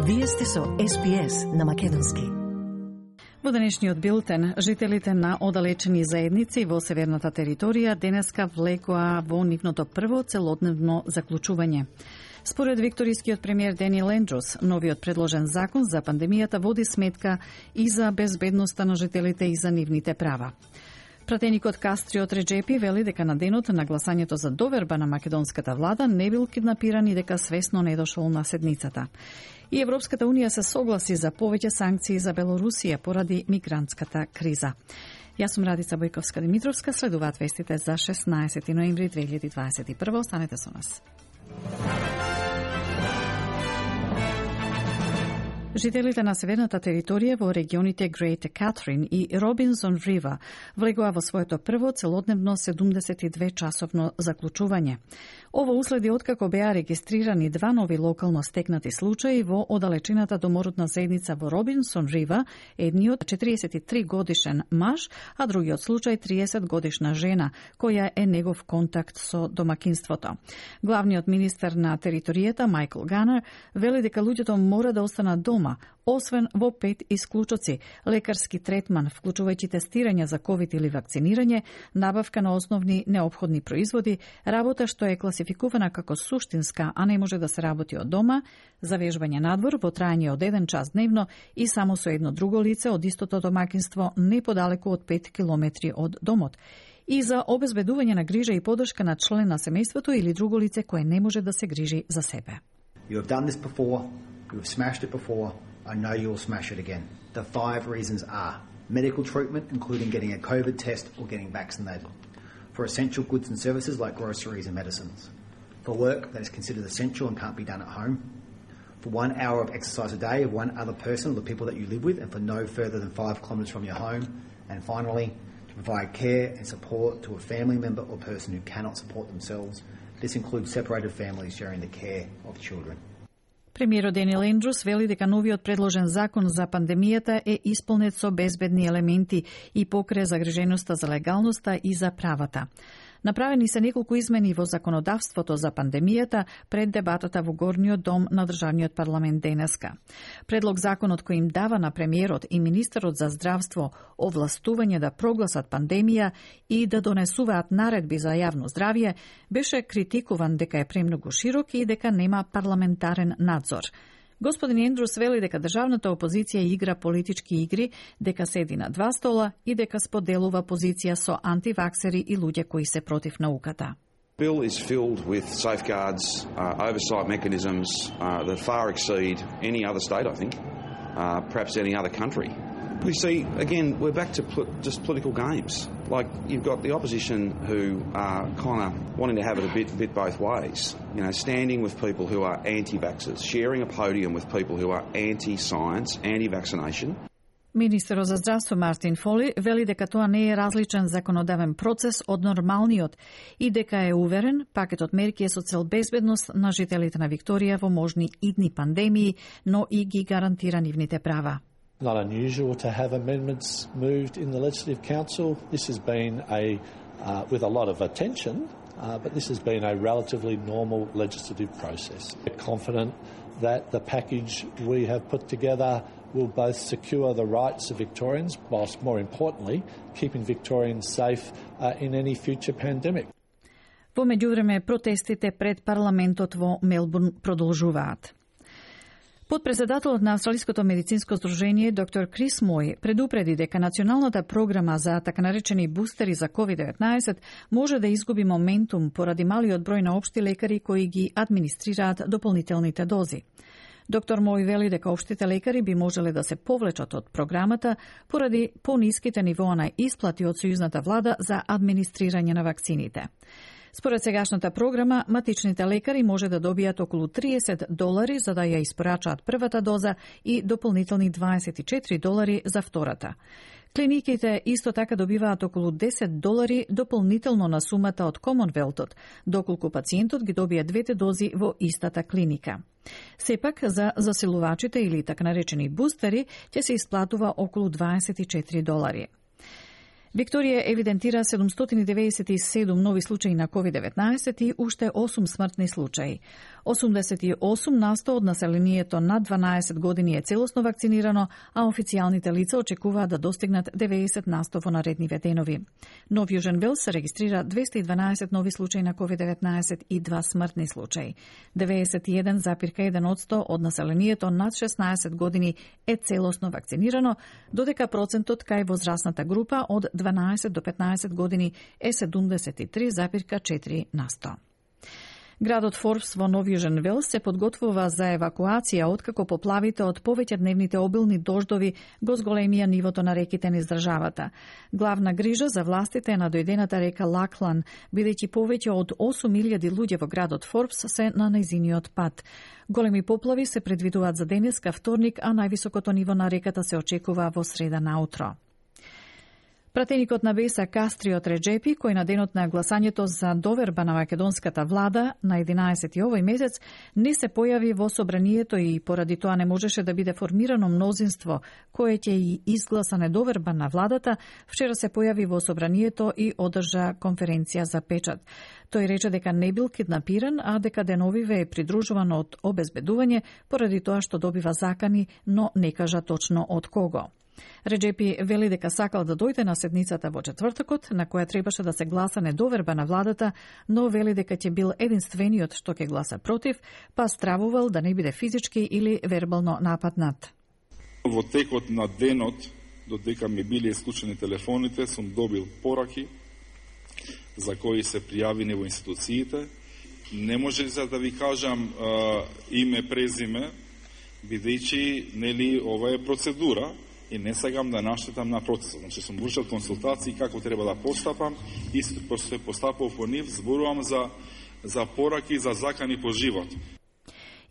Вие сте со СПС на македонски. Во денешниот билтен, жителите на оддалечени заедници во северната територија денеска влекоа во нивното прво целодневно заклучување. Според викторискиот премиер Денил Ендрус, новиот предложен закон за пандемијата води сметка и за безбедноста на жителите и за нивните права. Пратеникот Кастриот Реджепи вели дека на денот на гласањето за доверба на македонската влада не бил киднапиран и дека свесно не дошол на седницата. И Европската унија се согласи за повеќе санкции за Белорусија поради мигрантската криза. Јас сум Радица Бојковска-Димитровска, следуваат вестите за 16 ноември 2021. Останете со нас. Жителите на северната територија во регионите Great Catherine и Robinson River влегоа во своето прво целодневно 72-часовно заклучување. Ово уследи откако беа регистрирани два нови локално стекнати случаи во оддалечената домородна заедница во Robinson River, едниот 43 годишен маж, а другиот случај 30 годишна жена, која е негов контакт со домакинството. Главниот министер на територијата Майкл Ганер вели дека луѓето мора да останат дома, освен во 5 исклучоци: лекарски третман, вклучувајќи тестирање за ковид или вакцинирање, набавка на основни неопходни производи, работа што е класификувана како суштинска, а не може да се работи од дома, завежбање надвор во трајање од 1 час дневно и само со едно друго лице од истото домакинство не подалеку од 5 километри од домот, и за обезбедување на грижа и поддршка на член на семејството или друго лице кое не може да се грижи за себе. You have done this before. You have smashed it before. I know you will smash it again. The 5 reasons are: medical treatment, including getting a COVID test or getting vaccinated; for essential goods and services like groceries and medicines; for work that is considered essential and can't be done at home; for 1 hour of exercise a day of one other person or the people that you live with, and for no further than 5 kilometres from your home; and finally, to provide care and support to a family member or person who cannot support themselves. This includes separated families sharing the care of children. Премиерот Денил Ендрус вели дека новиот предложен закон за пандемијата е исполнет со безбедни елементи и покре загриженоста за легалноста и за правата. Направени се неколку измени во законодавството за пандемијата пред дебатата во Горниот дом на државниот парламент денеска. Предлог законот кој им дава на премиерот и министерот за здравство овластување да прогласат пандемија и да донесуваат наредби за јавно здравје, беше критикуван дека е премногу широк и дека нема парламентарен надзор. Господин Ендрус вели дека државната опозиција игра политички игри, дека седи на два стола и дека споделува позиција со антиваксери и луѓе кои се против науката. Bill is filled with safeguards, oversight mechanisms that far exceed any other state, I think, perhaps any other country. We see, again, we're back to just political games. Like, you've got the opposition who are kind of wanting to have it a bit both ways. You know, standing with people who are anti-vaxxers, sharing a podium with people who are anti-science, anti-vaccination. Министерот за здравство Мартин Фоли вели дека тоа не е различен законодавен процес од нормалниот и дека е уверен пакетот мерки е со цел безбедност на жителите на Викторија во можни идни пандемии, но и ги гарантира нивните права. Not unusual to have amendments moved in the Legislative Council. This has been with a lot of attention, but this has been a relatively normal legislative process. We're confident that the package we have put together will both secure the rights of Victorians, whilst more importantly, keeping Victorians safe in any future pandemic. Во меѓувреме, протестите пред парламентот во Мелбурн продолжуваат. Подпредседателот на Австралиското медицинско здружение доктор Крис Мој предупреди дека националната програма за така наречени бустери за COVID-19 може да изгуби моментум поради малиот број на општи лекари кои ги администрираат дополнителните дози. Доктор Мој вели дека општите лекари би можеле да се повлечат од програмата поради пониските нивоа на исплати од сојузната влада за администрирање на вакцините. Според сегашната програма, матичните лекари може да добијат околу $30 за да ја испорачаат првата доза и дополнителни $24 за втората. Клиниките исто така добиваат околу $10 дополнително на сумата од Комонвелтот, доколку пациентот ги добие двете дози во истата клиника. Сепак, за засилувачите или така наречени бустери, ќе се исплатува околу $24. Викторија евидентира 797 нови случаи на COVID-19 и уште 8 смртни случаи. 88% од населението над 12 години е целосно вакцинирано, а официјалните лица очекуваат да достигнат 90% во наредниве денови. Нов Јужен Велс се регистрира 212 нови случаи на COVID-19 и 2 смртни случаи. 91,1% од населението над 16 години е целосно вакцинирано, додека процентот кај возрастната група од 12 до 15 години е 73,4%. Градот Форбс во Нов Јужен Велс се подготвува за евакуација откако поплавите од повеќедневните обилни дождови го зголемија нивото на реките низ државата. Главна грижа за властите е на дојдената река Лаклан, бидејќи повеќе од 8.000 луѓе во градот Форбс се на нејзиниот пат. Големи поплави се предвидуваат за денеска вторник, а највисокото ниво на реката се очекува во среда наутро. Пратеникот на Беса Кастриот Реджепи, кој на денот на гласањето за доверба на македонската влада на 11 овој месец не се појави во собранието и поради тоа не можеше да биде формирано мнозинство кое ќе и изгласа недоверба на владата, вчера се појави во собранието и одржа конференција за печат. Тој рече дека не бил киднапиран, а дека деновиве е придружуван од обезбедување поради тоа што добива закани, но не кажа точно од кого. Реджепи вели дека сакал да дојде на седницата во четвртокот, на која требаше да се гласа недоверба на владата, но вели дека ќе бил единствениот што ќе гласа против, па стравувал да не биде физички или вербално нападнат. Во текот на денот, додека ми биле исклучени телефоните, сум добил пораки за кои се пријавени во институциите. Не може за да ви кажам име, презиме, бидејќи нели ова е процедура и не сакам да наштетам на процесот. Значи сум вршил консултации како треба да постапам и се постапав по нив, зборувам за пораки за закани по живот.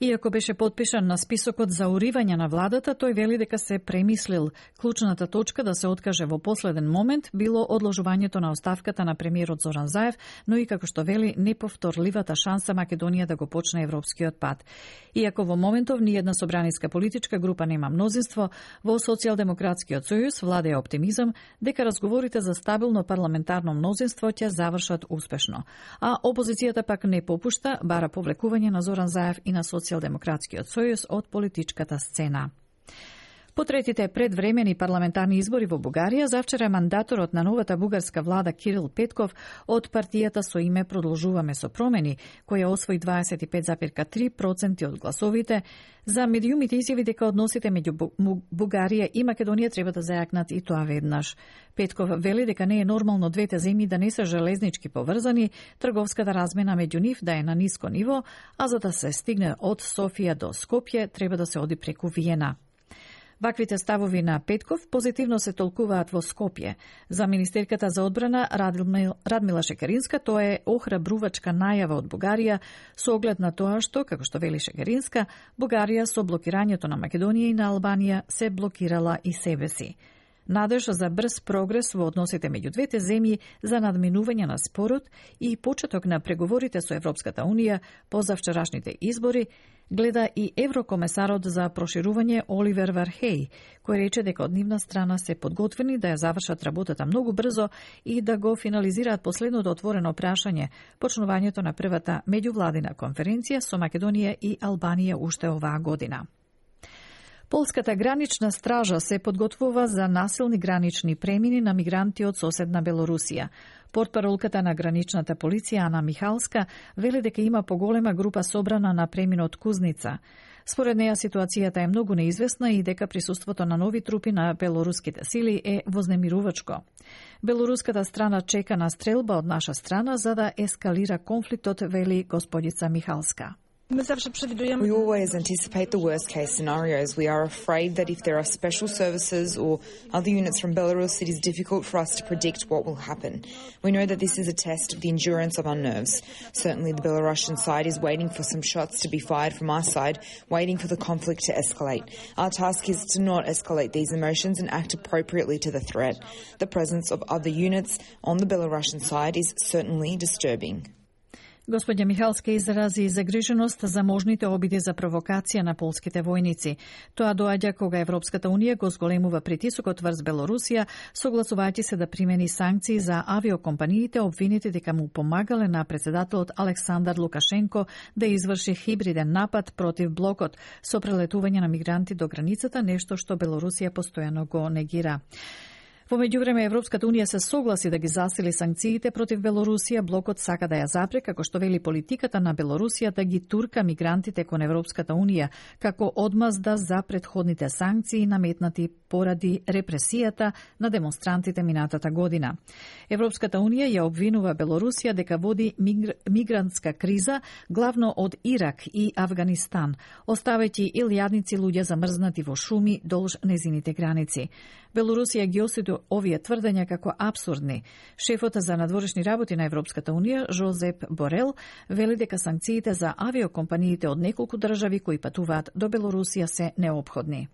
Иако беше подпишан на списокот за уривање на владата, тој вели дека се премислил. Клучната точка да се откаже во последен момент било одложувањето на оставката на премиерот Зоран Заев, но и како што вели неповторливата шанса Македонија да го почне европскиот пат. Иако во моментов ниедна собраниска политичка група нема мнозинство, во Социјалдемократскиот сојуз владее оптимизам дека разговорите за стабилно парламентарно мнозинство ќе завршат успешно. А опозицијата пак не попушта, бара повлекување на Зоран Заев и на Социјалдемократскиот сојуз од политичката сцена. По третите предвремени парламентарни избори во Бугарија, завчера мандаторот на новата бугарска влада Кирил Петков од партијата со име Продолжуваме со промени, која освои 25,3% од гласовите, за медиумите изјави дека односите меѓу Бугарија и Македонија треба да зајакнат и тоа веднаш. Петков вели дека не е нормално двете земји да не се железнички поврзани, трговската размена меѓу нив да е на ниско ниво, а за да се стигне од Софија до Скопје треба да се оди преку Виена. Ваквите ставови на Петков позитивно се толкуваат во Скопје. За министерката за одбрана Радмила Шекеринска тоа е охрабрувачка најава од Бугарија со оглед на тоа што, како што вели Шекеринска, Бугарија со блокирањето на Македонија и на Албанија се блокирала и себе си. Надеж за брз прогрес во односите меѓу двете земји за надминување на спорот и почеток на преговорите со Европската Унија по завчерашните избори гледа и еврокомесарот за проширување Оливер Вархеј, кој рече дека од нивна страна се подготвени да ја завршат работата многу брзо и да го финализираат последното отворено прашање, почнувањето на првата меѓувладина конференција со Македонија и Албанија уште оваа година. Полската гранична стража се подготвува за насилни гранични премини на мигранти од соседна Белорусија. Портпаролката на граничната полиција Ана Михалска вели дека има поголема група собрана на преминот Кузница. Според неја ситуацијата е многу неизвестна и дека присуството на нови трупи на белоруските сили е вознемирувачко. Белоруската страна чека на стрелба од наша страна за да ескалира конфликтот, вели господица Михалска. We always anticipate the worst case scenarios. We are afraid that if there are special services or other units from Belarus, it is difficult for us to predict what will happen. We know that this is a test of the endurance of our nerves. Certainly the Belarusian side is waiting for some shots to be fired from our side, waiting for the conflict to escalate. Our task is to not escalate these emotions and act appropriately to the threat. The presence of other units on the Belarusian side is certainly disturbing. Господја Михалска изрази загриженост за можните обиди за провокација на полските војници. Тоа доаѓа кога Европската унија го зголемува притисокот врз Белорусија, согласувајќи се да примени санкции за авиокомпаниите обвинети дека му помагале на председателот Александар Лукашенко да изврши хибриден напад против блокот со прелетување на мигранти до границата, нешто што Белорусија постојано го негира. Во меѓувреме, Европската унија се согласи да ги засили санкциите против Белорусија. Блокот сака да ја запре, како што вели политиката на Белорусија, да ги турка мигрантите кон Европската унија, како одмазда за претходните санкции наметнати поради репресијата на демонстрантите минатата година. Европската унија ја обвинува Белорусија дека води мигрантска криза, главно од Ирак и Авганистан, оставајќи илјадници луѓе замрзнати во шуми долж незините граници. Белорусија ги осуди овие тврдења како апсурдни. Шефот за надворешни работи на Европската унија, Жозеп Борел, вели дека санкциите за авиокомпаниите од неколку држави кои патуваат до Белорусија се неопходни.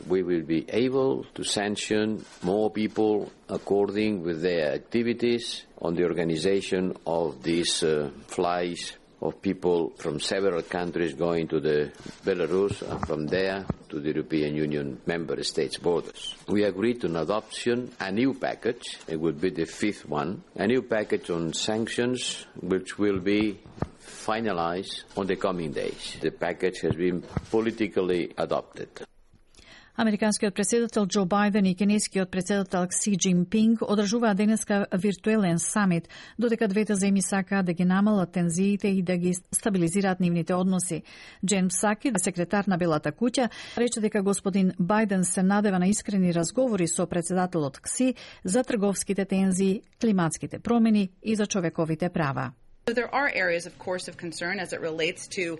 We will be able to sanction more people according with their activities on the organization of these flights of people from several countries going to the Belarus and from there to the European Union member states borders. We agreed on adoption a new package, it would be the fifth one, a new package on sanctions which will be finalized on the coming days. The package has been politically adopted. Американскиот председател Џо Бајден и кинескиот председател Кси Џинпинг одржуваат денеска виртуелен самит, додека двете земји сакаат да ги намалат тензиите и да ги стабилизираат нивните односи. Джен Псаки, секретар на Белата куќа, рече дека господин Бајден се надева на искрени разговори со председателот Кси за трговските тензии, климатските промени и за човековите права. So there are areas, of course, of concern as it relates to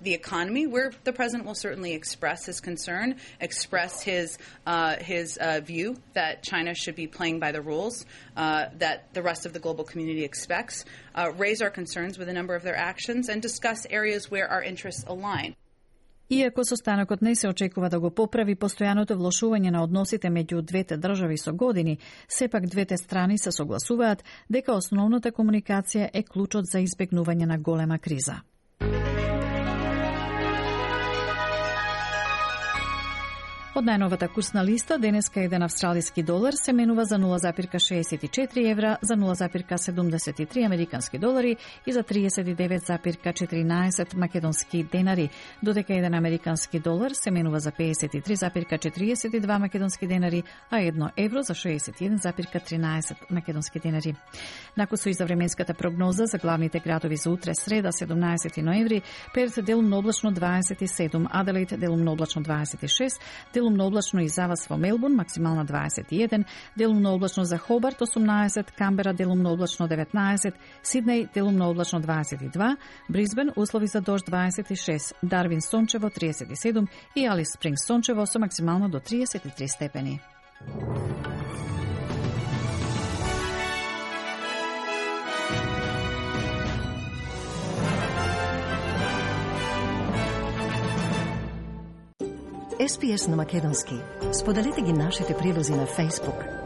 the economy, where the president will certainly express his concern, express his view that China should be playing by the rules that the rest of the global community expects, raise our concerns with a number of their actions, and discuss areas where our interests align. Иако состанокот не се очекува да го поправи постојаното влошување на односите меѓу двете држави со години, сепак двете страни се согласуваат дека основната комуникација е клучот за избегнување на голема криза. Од најновата курсна листа, денеска еден австралиски долар се менува за 0,64 евра, за 0,73 американски долари и за 39,14 македонски денари, додека еден американски долар се менува за 53,42 македонски денари, а 1 евро за 61,13 македонски денари. Накусо и за временската прогноза за главните градови за утре, среда, 17 ноември, Перт делумно облачно 27, Аделаид делумно облачно 26, делумно облачно и за вас во Мелбурн, максимална 21, делумно облачно за Хобарт 18, Камбера делумно облачно 19, Сиднеј делумно облачно 22, Брисбен услови за дожд 26, Дарвин сончево 37 и Алис Спрингс сончево со максимално до 33 степени. SPS на македонски. Споделете ги нашите прилози на Facebook.